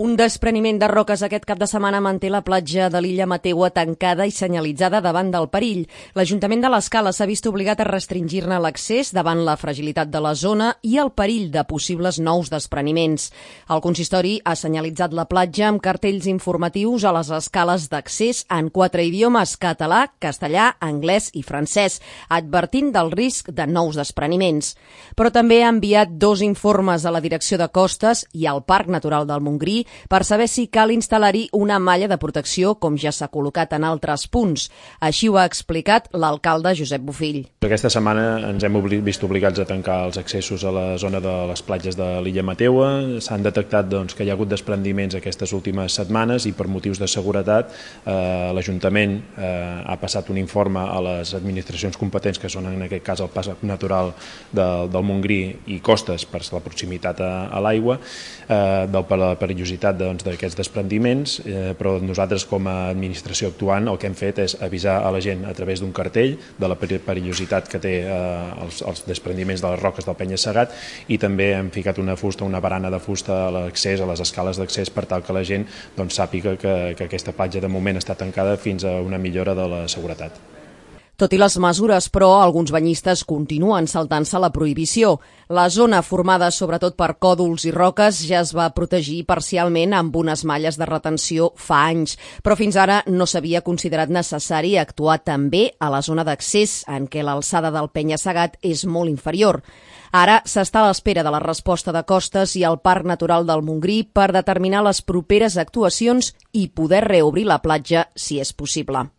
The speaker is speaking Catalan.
Un despreniment de roques aquest cap de setmana manté la platja de l'illa Mateua tancada i senyalitzada davant del perill. L'Ajuntament de l'Escala s'ha vist obligat a restringir-ne l'accés davant la fragilitat de la zona i el perill de possibles nous despreniments. El consistori ha senyalitzat la platja amb cartells informatius a les escales d'accés en 4 idiomes: català, castellà, anglès i francès, advertint del risc de nous despreniments. Però també ha enviat 2 informes a la Direcció de Costes i al Parc Natural del Montgrí per saber si cal instal·lar-hi una malla de protecció com ja s'ha col·locat en altres punts. Així ho ha explicat l'alcalde Josep Bofill. Aquesta setmana ens hem vist obligats a tancar els accessos a la zona de les platges de l'illa Mateua. S'han detectat que hi ha hagut desprendiments aquestes últimes setmanes i per motius de seguretat l'Ajuntament ha passat un informe a les administracions competents, que són en aquest cas el Parc Natural del Montgrí i Costes, per la proximitat a l'aigua, de la perillositat d'aquests desprendiments, però nosaltres com a administració actuant el que hem fet és avisar a la gent a través d'un cartell de la perillositat que té els desprendiments de les roques del penya-segat, i també hem ficat una barana de fusta a l'accés, a les escales d'accés, per tal que la gent sàpiga que aquesta platja de moment està tancada fins a una millora de la seguretat. Tot i les mesures, però, alguns banyistes continuen saltant-se la prohibició. La zona, formada sobretot per còdols i roques, ja es va protegir parcialment amb unes malles de retenció fa anys, però fins ara no s'havia considerat necessari actuar també a la zona d'accés, en què l'alçada del penya-segat és molt inferior. Ara s'està a l'espera de la resposta de Costes i el Parc Natural del Montgrí per determinar les properes actuacions i poder reobrir la platja si és possible.